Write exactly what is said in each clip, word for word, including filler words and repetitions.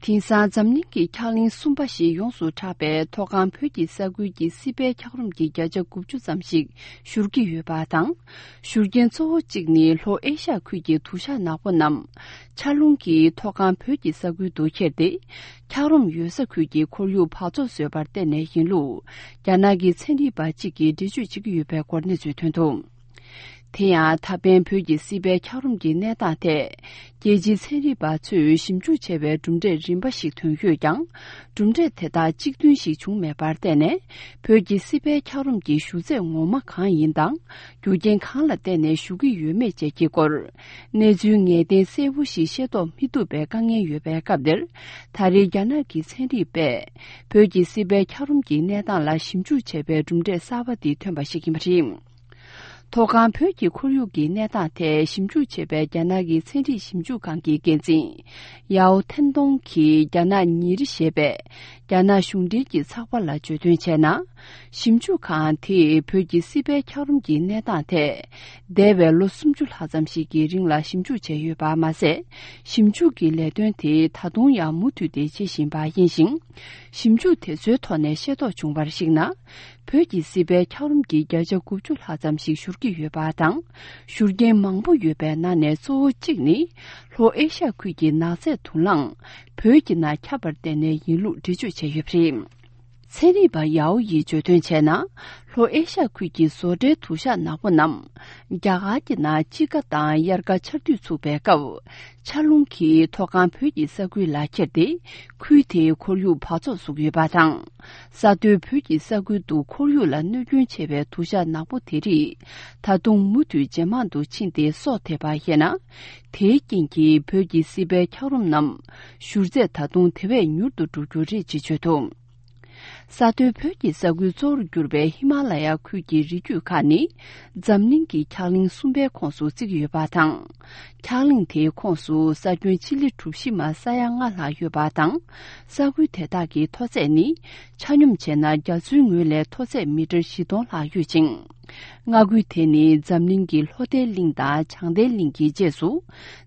དེང་སང་འཛམ་གླིང་གི་འཁྱགས་གླིང་གསུམ་པ་ཞེས་ཡོངས་སུ་གྲགས་པའི་མཐོ་སྒང་བོད་ཀྱི་ས་ཁུལ་གྱི་སྲིད་པའི་འཁྱགས་རོམ་གྱི་བརྒྱ་ཆ་དགུ་བཅུ་ཙམ་ཞིག་བཞུར་གྱི་ཡོད་པ་དང་། བཞུར་རྐྱེན་གཙོ་བོ་གཅིག་ནི་ལྷོ་ཨེ་ཤ་ཁུལ་གྱི་དུ་ཞག་ནག་པོ་རྣམས་ཆར་རླུང་གིས་མཐོ་སྒང་བོད་ཀྱི་ས་ཁུལ་དུ་ཁྱེར་ཏེ། འཁྱགས་རོམ་ཡོད་ས་ཁུལ་གྱི་ཁོར་ཡུག་འབག་བཙོག་བཟོས་པར་བརྟེན་ནས་ཡིན་ལུགས། རྒྱ་ནག་གི་ཚན་རིག་པ་གཅིག་གིས་འགྲེལ་བརྗོད་བྱེད་ཀྱི་ཡོད་པའི་སྐོར་གནས་ཚུལ་ཐོན་འདུག། དེ་ཡང་ད་ཕན་བོད་ཀྱི་སྲིད་པའི་འཁྱགས་རོམ་གྱི་གནས་སྟངས་ཐད། རྒྱལ་སྤྱིའི་ཚན་རིག་པ་ཚོས་ཞིབ་འཇུག་བྱས་པའི་གྲུབ་འབྲས་རིམ་པ་ཞིག་ཐོན་ཡོད་ཀྱང་། གྲུབ་འབྲས་དེ་དག་གཅིག་མཐུན་ཞིག་བྱུང་མེད་པར་བརྟེན་ནས། བོད་ཀྱི་སྲིད་པའི་འཁྱགས་རོམ་གྱི་བཞུར་རྫས་ངོ་མ་གང་ཡིན་དང་། རྒྱུ་རྐྱེན་གང་ལ་བརྟེན་ནས་བཞུར་གྱི་ཡོད་མེད་བཅས་ཀྱི་སྐོར། གནས་ཚུལ་ངེས་གཏན་གསལ་པོ་ཞིག་ཤེས་རྟོགས་མི་ཐུབ་པའི་དཀའ་ངལ་ཡོད་པའི་སྐབས་འདིར། ད་རེས་རྒྱ་ནག་གི་ཚན་རིག་པས། བོད་ཀྱི་སྲིད་པའི་འཁྱགས་རོམ་གྱི་གནས་སྟངས་ལ་ཞིབ་འཇུག་བྱས་པའི་གྲུབ་འབྲས་གསར་པ་འདི་ཐོན་པ་ཞིག་ཡིན་པ་རེད། མཐོ་སྒང་བོད་ཀྱི་ཁོར་ཡུག་གི་གནས་སྟངས་ཐད་ཞིབ་འཇུག་བྱེད་པའི་རྒྱ་ནག་གི་ཚན་རིག་ཞིབ་འཇུག་ཁང་གི་འགན་འཛིན། ཡའོ་ཐན་ཏོང་གིས་རྒྱ་ནག་ཉིན་རེ་ཞེས་པའི་རྒྱ་ནག་གཞུང་འབྲེལ་གྱི་ཚགས་པར་ལ་བརྗོད་དོན་བྱས་ན། ཞིབ་འཇུག་ཁང་དེས་བོད་ཀྱི་སྲིད་པའི་འཁྱགས་རོམ་གྱི་གནས་སྟངས་ཐད། འདས་པའི་ལོ་སུམ་ཅུ་ལྷག་ཙམ་ཞིག་གི་རིང་ལ་ཞིབ་འཇུག་བྱས་ཡོད་པ་མ་ཟད། ཞིབ་འཇུག་གི་ལས་དོན་དེ་ད་དུང་ཡང་མུ་མཐུད་དེ་བྱེད་བཞིན་པ་ཡིན་ཞིང་། ཞིབ་འཇུག་དེ་ཚོའི་ཐོག་ནས་ཤེས་རྟོགས་བྱུང་བར་གཞིགས་ན། བོད་ཀྱི་སྲིད་པའི་འཁྱགས་རོམ་གྱི་བརྒྱ་ཆ་དགུ་བཅུ་ལྷག་ཙམ་ཞིག་བཞུར་གྱི་ཡོད་པ་དང་། བཞུར་རྐྱེན་མང་པོ་ཡོད་པའི་ནང་ནས་གཙོ་བོ་གཅིག་ནི། ལྷོ་ཨེ་ཤ་ཁུལ་གྱི་ནགས་ཚལ་དུག་རླངས་བོད་ཀྱི་ནང་ཁྱབ་པར་བརྟེན་ནས་ཡིན་ལུགས་འགྲེལ་བརྗོད་བྱས་ཡོད་པ་རེད། ཚན་རིག་པ་ཡའོ་ཡིས་བརྗོད་དོན་བྱས་ན། ལྷོ་ཨེ་ཤ་ཁུལ་གྱི་བཟོ་གྲྭའི་དུ་ཞག་ནག་པོ་རྣམས། རྒྱ་གར་གྱི་ནང་དཔྱིད་ཀ་དང་དབྱར་ཁ་ཆར་དུས་ཚུགས་པའི་སྐབས། ཆར་རླུང་གིས་མཐོ་སྒང་བོད་ཀྱི་ས་ཁུལ་ལ་ཁྱེར་ཏེ། ཁུལ་དེའི་ཁོར་ཡུག་འབག་བཙོག་བཟོ་གི་ཡོད་པ་དང་། ས་མཐོའི་བོད་ཀྱི་ས་ཁུལ་དུ་ཁོར་ཡུག་ལ་གནོད་སྐྱོན་ཆེ་བའི་དུ་ཞག་ནག་པོ་དེ་རིགས། ད་དུང་མུ་མཐུད་ཇེ་མང་དུ་ཕྱིན་ཏེ་སོ་ཐེབས་པ་ཡིན་ན། དེའི་རྐྱེན་གྱིས་བོད་ཀྱི་སྲིད་པའི་འཁྱགས་རོམ་རྣམས། བཞུར་ཚད་ད་དུང་དེ་བས་མྱུར་དུ་འགྲོ་རྒྱུ་རེད་ཅེས་བརྗོད་འདུག། ས་མཐོའི་བོད་ཀྱི་ས་ཁུལ་གཙོ་བོར་གྱུར་པའི་ཧི་མ་ལ་ཡ་ཁུལ་གྱི་རི་རྒྱུད་ཁག་ནི། འཛམ་གླིང་གི་འཁྱགས་གླིང་གསུམ་པའི་ཁོངས་སུ་བརྩི་གི་ཡོད་པ་དང་། འཁྱགས་གླིང་དེའི་ཁོངས་སུ་ས་ཁྱོན་སྤྱི་ལེ་གྲུ་བཞི་མ་ས་ཡ་ལྔ་ལྷག་ཡོད་པ་དང་། ས་ཁུལ་དེ་དག་གི་མཐོ་ཚད་ནི། ཆ་སྙོམས་བྱས་ན་རྒྱ་མཚོའི་ངོས་ལས་མཐོ་ཚད་མི་ཊར་བཞི་སྟོང་ལྷག་ཡོད་ཅིང་། མངའ་ཁུལ་དེ་ནི་འཛམ་གླིང་གི་ལྷོ་ལྡན་གླིང་དང་བྱང་ལྡན་གླིང་གི་རྗེས་སུ།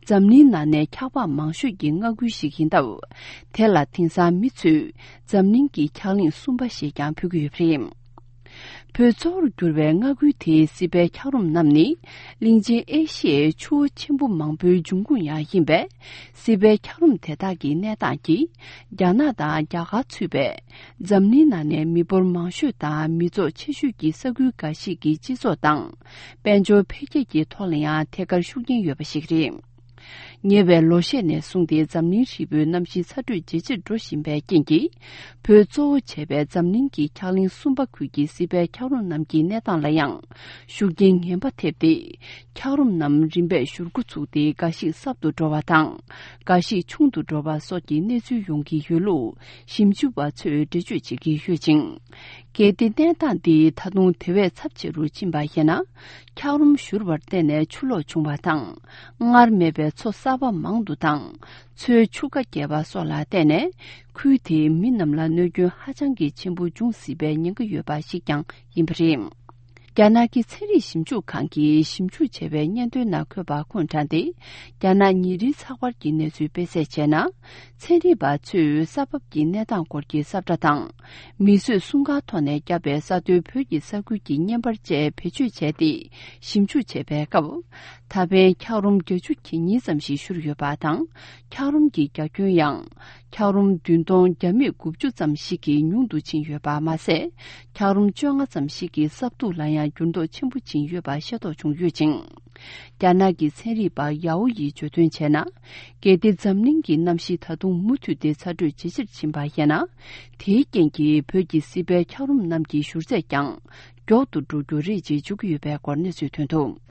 འཛམ་གླིང་ནང་ནས་འཁྱགས་པ་མང་ཤོས་ཀྱི་མངའ་ཁུལ་ཞིག་ཡིན་སྟབས། དེ་ལ་དེང་སང་མི་ཚོས་འཛམ་གླིང་གི་འཁྱགས་གླིང་གསུམ་པ་ཞེས་ཀྱང་འབོད་ཀྱི་ཡོད་པ་རེད། བོད་གཙོ་བོར་གྱུར་བའི་མངའ་ཁུལ་དེའི་སྲིད་པའི་འཁྱགས་རོམ་རྣམས་ནི། གླིང་ཆེན་ཨེ་ཤི་ཡའི་ཆུ་བོ་ཆེན་པོ་མང་པོའི་འབྱུང་ཁུངས་ཡང་ཡིན་པས། སྲིད་པའི་འཁྱགས་རོམ་དེ་དག་གི་གནས་སྟངས་ཀྱིས། རྒྱ་ནག་དང་རྒྱ་གར་ཚུད་པའི། འཛམ་གླིང་ནང་ནས་མི་འབོར་མང་ཤོས་དང་མི་ཚོགས་ཆེ་ཤོས་ཀྱི་ས་ཁུལ་འགའ་ཞིག་གི་སྤྱི་ཚོགས་དང་། དཔལ་འབྱོར་འཕེལ་རྒྱས་ཀྱི་ཐོག་ལ་ཡང་ཐད་ཀར་ཤུགས་རྐྱེན་ཡོད་པ་ཞིག་རེད། ཉེ་བའི་ལོ་ཤས་ནས་བཟུང་སྟེ་འཛམ་གླིང་ཧྲིལ་པོའི་གནམ་གཤིས་ཚ་དྲོད་ཇེ་ཆེར་འགྲོ་བཞིན་པའི་རྐྱེན་གྱིས། བོད་གཙོ་བོ་བྱས་པའི་འཛམ་གླིང་གི་འཁྱགས་གླིང་གསུམ་པ་ཁུལ་གྱི་སྲིད་པའི་འཁྱགས་རོམ་རྣམས་ཀྱི་གནས་སྟངས་ལ་ཡང་ཤུགས་རྐྱེན་ངན་པ་ཐེབས་ཏེ། འཁྱགས་རོམ་རྣམས་རིམ་པས་བཞུར་འགོ་ཚུགས་ཏེ་འགའ་ཞིག་སྲབ་ཏུ་འགྲོ་བ་དང་། འགའ་ཞིག་ཆུང་དུ་འགྲོ་བ་སོགས་ཀྱི་གནས་ཚུལ་ཡོང་གི་ཡོད་ལུགས་ཞིབ་འཇུག་པ་ཚོས་འགྲེལ་བརྗོད་བྱེད་ཀྱི་ཡོད་ཅིང་། གལ་ཏེ་གནས་སྟངས་འདི་ད་དུང་དེ་བས་ཚབས་ཆེ་རུ་ཕྱིན་པ་ཡིན་ན། འཁྱགས་རོམ་བཞུར་བར་བརྟེན་ནས་ཆུ་ལོག་བྱུང་བ་དང་། སྔར་མེད་པའི་མཚོ་གསར་པ་མང་དུ་དང་། མཚོའི་ཆུ་ཁ་རྒྱས་པ་སོགས་ལ་བརྟེན་ནས། ཁུལ་དེའི་མི་རྣམས་ལ་གནོད་སྐྱོན་ཧ་ཅང་གི་ཆེན་པོ་འབྱུང་སྲིད་པའི་ཉེན་ཁ་ཡོད་པ་ཞིག་ཀྱང་ཡིན་པ་རེད། རྒྱ་ནག་གི་ཚན་རིག་ཞིབ་འཇུག་ཁང་གིས་ཞིབ་འཇུག་བྱས་པའི་སྙན་ཐོའི་ནང་འཁོད་པ་ཁོང་དྲངས་ཏེ། རྒྱ་ནག་ཉིན་རེའི་ཚགས་པར་གྱི་གནས་ཚུལ་སྤེལ་གསལ་བྱས་ན། ཚན་རིག་པ་ཚོས་ས་བབ་ཀྱི་གནས་སྟངས་སྐོར་གྱི་ས་བཀྲ་དང་། མིས་བཟོས་སྲུང་སྐར་ཐོག་ནས་བརྒྱབ་པའི་ས་མཐོའི་བོད་ཀྱི་ས་ཁུལ་གྱི་བརྙན་པར་བཅས་བེད་སྤྱོད་བྱས་ཏེ་ཞིབ་འཇུག་བྱས་པའི་སྐབས། ད་ཕན་འཁྱགས་རོམ་བརྒྱད་ཅུ་གྱ་གཉིས་ཙམ་ཞིག་བཞུར་ཡོད་པ་དང་། འཁྱགས་རོམ་གྱི་རྒྱ་ཁྱོན་ཡང་། འཁྱགས་རོམ་བདུན་སྟོང་བརྒྱ་མེད་དགུ་བཅུ་ཙམ་ཞིག་གིས་ཉུང་དུ་ཕྱིན་ཡོད་པ་མ་ཟད། འཁྱགས་རོམ་བཅོ་ལྔ་ཙམ་ཞིག་གི་སྲབ་མཐུག་ལ་ཡང་འགྱུར་ལྡོག་ཆེན་པོ་ཕྱིན་ཡོད་པ་ཤེས་རྟོགས་བྱུང་ཡོད་ཅིང་། རྒྱ་ནག་གི་ཚན་རིག་པ་ཡའོ་ཡིས་བརྗོད་དོན་བྱས་ན། གལ་ཏེ་འཛམ་གླིང་གི་གནམ་གཤིས་ད་དུང་མུ་མཐུད་དེ་ཚ་དྲོད་ཇེ་ཆེར་ཕྱིན་པ་ཡིན་ན། དེའི་རྐྱེན་གྱིས་བོད་ཀྱི་སྲིད་པའི་འཁྱགས་རོམ་རྣམས་ཀྱི་བཞུར་ཚད་ཀྱང་མགྱོགས་ཏུ་འགྲོ་རྒྱུ་རེད་ཅེས་བརྗོད་ཀྱི་ཡོད་པའི་སྐོར་གནས་ཚུལ་ཐོན་འདུག།